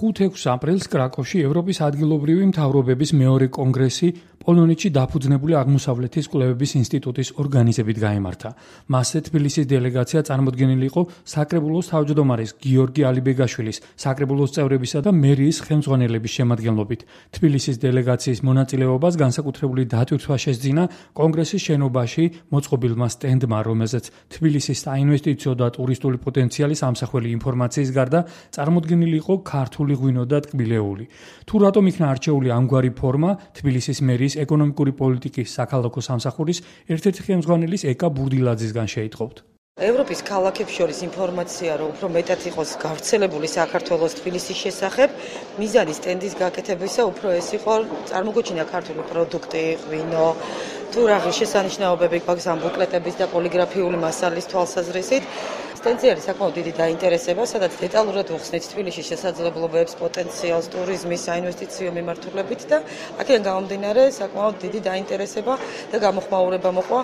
5-6 აპრილს კრაკოვში ევროპის ადგილობრივი მთავრობების მეორე კონგრესი პოლონეთში დაფუძნებული აღმოსავლეთის კვლევების ინსტიტუტის ორგანიზებით გაიმართა. მასზე თბილისის დელეგაცია წარმოდგენილი იყო საკრებულოს თავმჯდომარის გიორგი ალიბეგაშვილის, საკრებულოს წევრებისა და მერიის ხელმძღვანელების შემადგენლობით. თბილისის დელეგაციის მონაწილეობას განსაკუთრებული დატვირთვა შესძინა კონგრესის შენობაში მოწყობილმა სტენდმა, რომელზეც თბილისის საინვესტიციო და ტურისტული პოტენციალის ამსახველი ინფორმაციის გარდა წარმოდგენილი იყო ქართული ღვინო და ტკბილეული. თუ რატომ იქნა არჩეული ამგვარი ფორმა, თბილისის მერიის ეკონომიკური პოლიტიკის საქალაქო სამსახურის ერთ-ერთი ხელმძღვანელის ეკა ბურდილაძისგან შეიტყობთ. ევროპის ქალაქებს შორის ინფორმაცია, რომ უფრო მეტად იყოს გავრცელებული საქართველოს თბილისის შესახებ, მიზანი სტენდის გაკეთებისა უფრო ეს იყო წარმოგვიჩინა ქართული პროდუქტი, ღვინო, თუ რაღაც შესანიშნაობები გვაქვს ამ ბუკლეტების და პოლიგრაფიული მასალის თვალსაზრისით. სტენდზე არის საკმაოდ დიდი დაინტერესება, სადაც დეტალურად ვუხსნით თბილისის შესაძლებლობებს, პოტენციალს, ტურიზმის, საინვესტიციო მიმართულებით და აქედან გამომდინარე საკმაოდ დიდი დაინტერესება და გამოხმაურება მოყვა.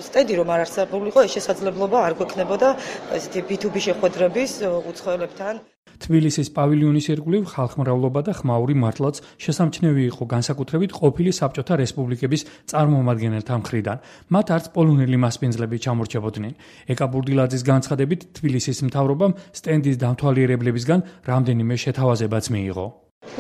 სტენდი რომ არ არსებულიყო, ეს შესაძლებლობა არ გვექნებოდა ესეთი B2B შეხვედრების უცხოელებთან. თბილისის პავილიონის ირგვლივ ხალხმრავლობა და ხმაური მართლაც შესამჩნევი იყო განსაკუთრებით ყოფილი საბჭოთა რესპუბლიკების წარმომადგენელთა მხრიდან. მათ არც პოლონელი მასპინძლები ჩამორჩებოდნენ. ეკა ბურდილაძის განცხადებით, თბილისის მთავრობამ სტენდის დამთვალიერებლებისგან რამდენიმე შეთავაზებაც მიიღო.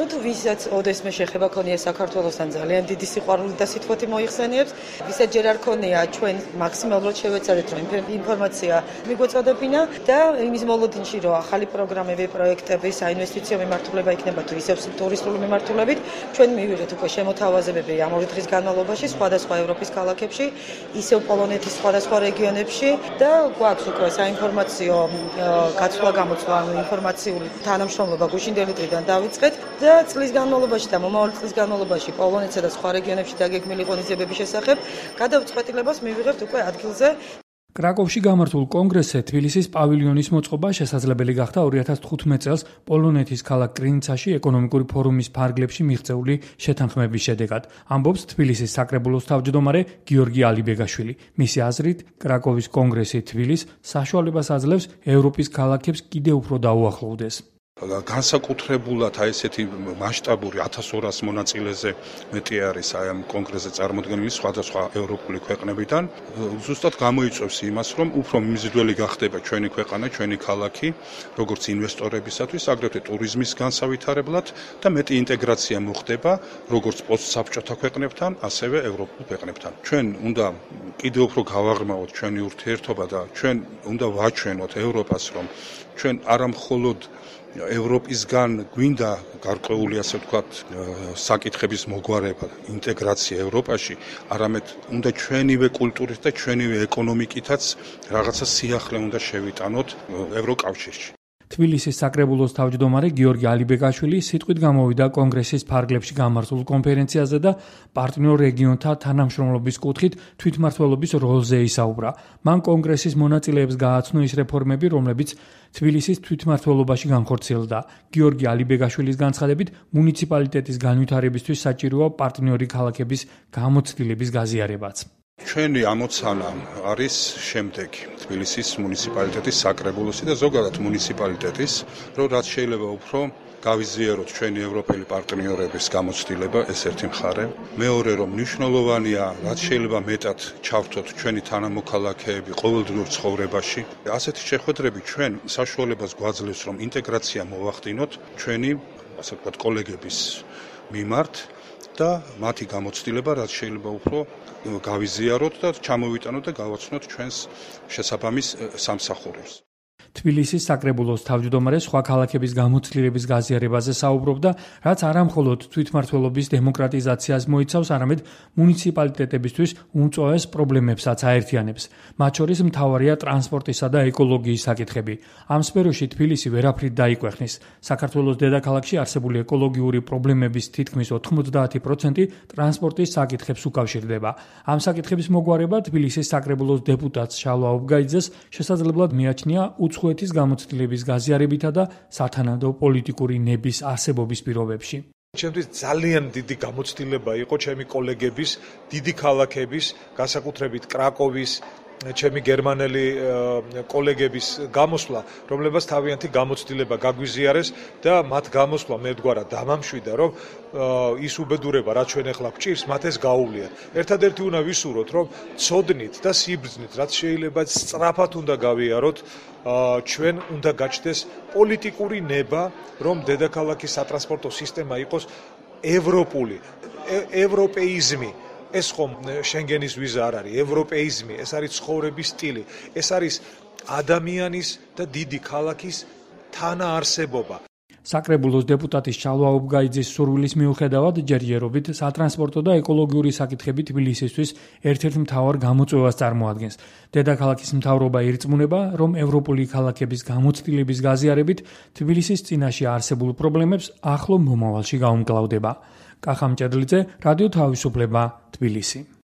თუ ვისაც ოდესმე შეხება ქონია საქართველოსთან ძალიან დიდი სიყვარული და სიტყვეთი მოიხსენიებს, ვისაც ჯერ არ ქონია ჩვენ მაქსიმალურად შევეცადეთ რომ ინფორმაცია მიგვეწოდებინა და იმის მოლოდინში რომ ახალი პროგრამები, პროექტები, საინვესტიციო მიმართულება იქნება თუ ისევ ტურისტული მიმართულებით, ჩვენ მივიღეთ უკვე შემოთავაზებები ამ 2 დღის განმავლობაში სხვადასხვა ევროპის ქალაქებში, ისევ პოლონეთის სხვადასხვა რეგიონებში და გვაქვს უკვე საინფორმაციო გაცვლა-გამოცვლა, ინფორმაციული თანამშრომლობა გუშინდელი დღიდან დავიწყეთ. და წლის განმავლობაში და მომავალი წლის განმავლობაში პოლონეთსა და სხვა რეგიონებში დაგეგმილი ღონისძიებების შესახებ გადაწყვეტილებას მივიღებთ უკვე ადგილზე. კრაკოვში გამართულ კონგრესზე თბილისის პავილიონის მოწყობა შესაძლებელი გახდა 2015 წელს პოლონეთის ქალაქ კრინიცაში ეკონომიკური ფორუმის ფარგლებში მიღწეული შეთანხმების შედეგად. ამბობს თბილისის საკრებულოს თავმჯდომარე გიორგი ალიბეგაშვილი. მისი აზრით, კრაკოვის კონგრესი თბილისს საშუალებას აძლევს ევროპის ქალაქებს კიდევ უფრო დაუახლოვდეს. განსაკუთრებულად ესეთი მასშტაბური 1200 მონაწილეზე მეტი არის ამ კონგრესზე წარმოდგენილი სხვადასხვა ევროპული ქვეყნებიდან. ზუსტად გამოიწვევს იმას, რომ უფრო მიმზიდველი გახდება ჩვენი ქვეყანა, ჩვენი ქალაქი, როგორც ინვესტორებისათვის, აგრეთვე ტურიზმის განსავითარებლად და მეტი ინტეგრაცია მოხდება, როგორც პოსტსაბჭოთა ქვეყნებთან, ასევე ევროპულ ქვეყნებთან. ჩვენ უნდა კიდევ უფრო გავაღრმავოთ ჩვენი ურთიერთობა და ჩვენ უნდა ვაჩვენოთ ევროპას, რომ ჩვენ არა მხოლოდ ევროპისგან გვინდა გარკვეული ასე ვთქვათ საკითხების მოგვარება, ინტეგრაცია ევროპაში, არამედ უნდა ჩვენივე კულტურით და ჩვენივე ეკონომიკითაც რაღაცა სიახლე უნდა შევიტანოთ ევროკავშირში. თბილისის საკრებულოს თავმჯდომარე გიორგი ალიბეგაშვილი სიტყვით გამოვიდა კონგრესის ფარგლებში გამართულ კონფერენციაზე და პარტნიორ რეგიონთა თანამშრომლობის კუთხით თვითმმართველობის როლზე ისაუბრა. მან კონგრესის მონაწილეებს გააცნო ის რეფორმები, რომლებიც თბილისის თვითმმართველობაში განხორციელდა. გიორგი ალიბეგაშვილის განცხადებით, მუნიციპალიტეტის განვითარებისთვის საჭიროა პარტნიორი ქალაქების გამოცდილების გაზიარებაც. ჩვენი ამოცანა არის შემდეგი: თბილისის მუნიციპალიტეტის საკრებულოსი და ზოგადად მუნიციპალიტეტის, რომ რაც შეიძლება უფრო გავიზიაროთ ჩვენი ევროპელი პარტნიორების გამოცდილება, ეს ერთი მხარე. მეორე, რომ მნიშვნელოვანია, რაც შეიძლება მეტად ჩავრთოთ ჩვენი თანამოქალაქეები ყოველდღიურ ცხოვრებაში. ასეთი შეხვედრები ჩვენ საშუალებას გვაძლევს, რომ ინტეგრაცია მოვახდინოთ ჩვენი, ასე ვთქვათ, კოლეგების მიმართ და მათი გამოცდილება, რაც შეიძლება უფრო გავიზიაროთ და ჩამოვიტანოთ და გავაცნოთ ჩვენს შესაბამის სამსახურებს. თბილისის საკრებულოს თავმჯდომარე სხვა ქალაქების გამოცდილების გაზიარებაზე საუბრობდა, რაც არა მხოლოდ თვითმმართველობის დემოკრატიზაციას მოიცავს, არამედ მუნიციპალიტეტებისთვის უმწვავეს პრობლემებსაც აერთიანებს. მათ შორის მთავარია ტრანსპორტისა და ეკოლოგიის საკითხები. ამ სფეროში თბილისი ვერაფრით დაიკვეხნის. საქართველოს დედაქალაქში არსებული ეკოლოგიური პრობლემების თითქმის 90% ტრანსპორტის საკითხებს უკავშირდება. ამ საკითხების მოგვარება თბილისის საკრებულოს დეპუტატს შალვა ობგაიძეს შესაძლებლად მიაჩნია უცხოეთის გამოცდილების გაზიარებითა და სათანადო პოლიტიკური ნების არსებობის პირობებში. ჩემთვის ძალიან დიდი გამოცდილება იყო ჩემი კოლეგების, დიდი ქალაქების, განსაკუთრებით კრაკოვის, ჩემი გერმანელი კოლეგების გამოსვლა, რომლებსაც თავიანთი გამოცდილება გაგვიზიარეს და მათ გამოსვლა მე ვდგარა დამამშვიდა, რომ ის უბედურება, რაც ჩვენ ახლა გვჭირს, მათ ეს გაუვლიათ. ერთადერთი უნდა ვისურვოთ, რომ ცოდნით და სიბრძნით, რაც შეიძლება სწრაფად უნდა გავიაროთ, ჩვენ უნდა გაჩნდეს პოლიტიკური ნება, რომ დედაქალაქის სატრანსპორტო სისტემა იყოს ევროპული, ევროპეიზმი. ეს ხომ შენგენის ვიზა არ არის, ევროპეიზმი, ეს არის ცხოვრების სტილი, ეს არის ადამიანის და დიდი ქალაქის თანაარსებობა. საკრებულოს დეპუტატის ჩალვა უბგაიძის სურვილის მიუხედავად ჯერჯერობით სატრანსპორტო და ეკოლოგიური საკითხები თბილისისთვის ერთ-ერთ მთავარ გამოწვევას წარმოადგენს. დედაქალაქის მთავრობა ირწმუნება, რომ ევროპული ქალაქების გამოცდილების გაზიარებით თბილისის წინაშე არსებულ პრობლემებს ახლო მომავალში გაუმკლავდება. კახა მჭედლიძე, რადიო თავისუფლება, თბილისი.